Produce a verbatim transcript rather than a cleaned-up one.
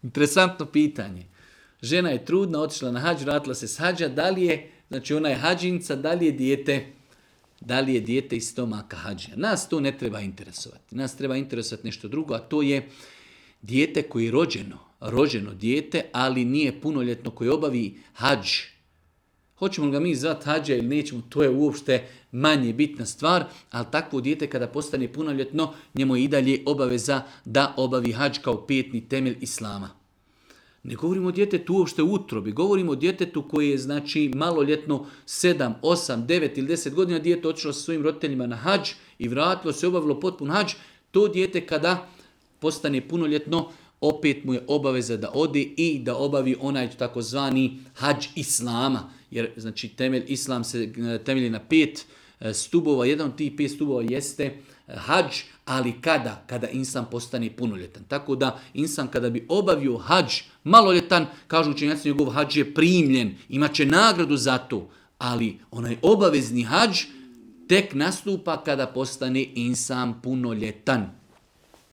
Interesantno pitanje. Žena je trudna, otišla na hađ, vratila se s hađa, da li je, znači ona je hađinca, da li je dijete, da li je dijete iz stomaka hađija. Nas to ne treba interesovati. Nas treba interesovati nešto drugo, a to je dijete koje je rođeno, rođeno dijete, ali nije punoljetno, koje obavi hađ. Hoćemo li ga mi zvati hađa ili nećemo, to je uopšte manje bitna stvar, ali takvo dijete kada postane punoljetno, njemu je i dalje obaveza da obavi hađ kao petni temelj islama. Ne govorimo o djetetu uopšte u utrobi, govorimo o djetetu koji je znači maloljetno sedam, osam, devet ili deset godina, dijete otišlo sa svojim roditeljima na hađ i vratilo se, obavilo potpun hađ. To dijete kada postane punoljetno, opet mu je obaveza da ode i da obavi onaj takozvani hađ islama. Jer znači temelj islam se temelji na pet stubova, jedan od tih pet stubova jeste hađ, ali kada? Kada insan postane punoljetan. Tako da insan kada bi obavio hađ maloljetan, kažu učenjaci, njegov hađ je primljen, imat će nagradu za to, ali onaj obavezni hađ tek nastupa kada postane insan punoljetan.